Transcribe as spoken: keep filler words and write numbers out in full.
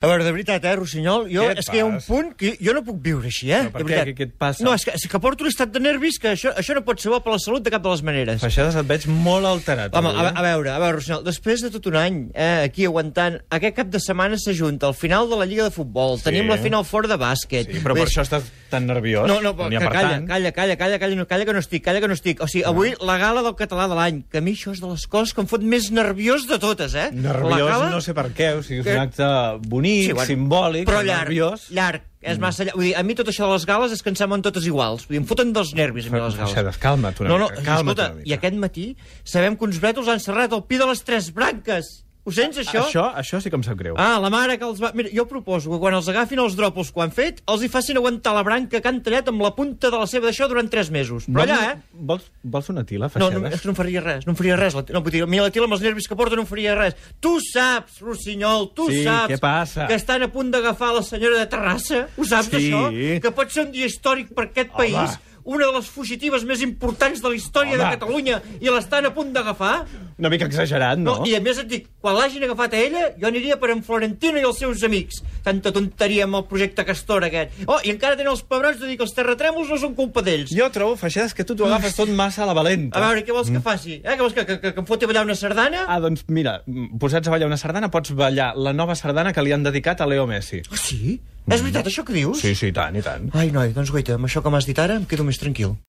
A veure, de veritat, eh, Rossinyol, jo, Què et és que hi ha un passa? punt que jo no puc viure així, eh? Però per de què? veritat. Què- què et passa? No, és que, és que porto un estat de nervis que això, això no pot ser bo per la salut de cap de les maneres. Feixades, et veig molt alterat. Home, avui, a, eh? a veure, a veure, Rossinyol, després de tot un any eh, aquí aguantant, aquest cap de setmana s'ajunta el final de la Lliga de Futbol, Sí. tenim la final fora de bàsquet. Sí, però per això estàs tan nerviós. No, no, N'hi ha que per calla, tant. calla, calla, calla, calla, no, calla que no estic, calla que no estic. O sigui, avui la gala del català de l'any, que a mi això és de les coses que em fot més nerviós de totes, eh? Nerviós, La gala- no sé per què, o sigui, és Que- un acte bonic, Sí, bueno, simbòlic, però llarg, nerviós. llarg, és massa llarg. Vull dir, a mi tot això de les gales és que em semblen totes iguals. Vull dir, em foten dels nervis a mi les gales. Feixades, calma't una no, no, mica, calma't escolta, una mica. i aquest matí sabem que uns brètols han serrat el pi de les tres branques. Ho sents, això? Això, això sí que em sap greu. Ah, la mare que els va... Mira, jo proposo que quan els agafin els dròpols que ho han fet, els hi facin aguantar la branca que han tallat amb la punta de la seva d'això durant tres mesos. Però allà, eh? Vols, vols una tila, No, Feixades? no, és que no em faria res, no em faria res. La, no, vull dir, a mi la tila amb els nervis que porta no em faria res. Tu saps, Rossinyol, tu Sí, saps què passa? que estan a punt d'agafar la senyora de Terrassa. Ho saps, Sí. això? Que pot ser un dia històric per aquest Home. país, una de les fugitives més importants de la història Home. de Catalunya, i l'estan a punt d'agafar? Una mica exagerat, no? No, i a més et dic, quan l'hagin agafat a ella, jo aniria per en Florentino i els seus amics. Tanta tonteria amb el projecte Castor aquest. Oh, i encara tenen els pebrons de dir que els terratrèmols no són culpa d'ells. Jo trobo, Feixades, que tu t'ho agafes tot massa a la valenta. A veure, què vols que faci? Eh? Què vols que, que, que, que em foti a ballar una sardana? Ah, doncs mira, posats a ballar una sardana, pots ballar la nova sardana que li han dedicat a Leo Messi. Ah, sí? És veritat això que dius? Sí, sí, i tant, i tant. Ai, noi, doncs guaita, amb això que m'has dit ara em quedo més tranquil.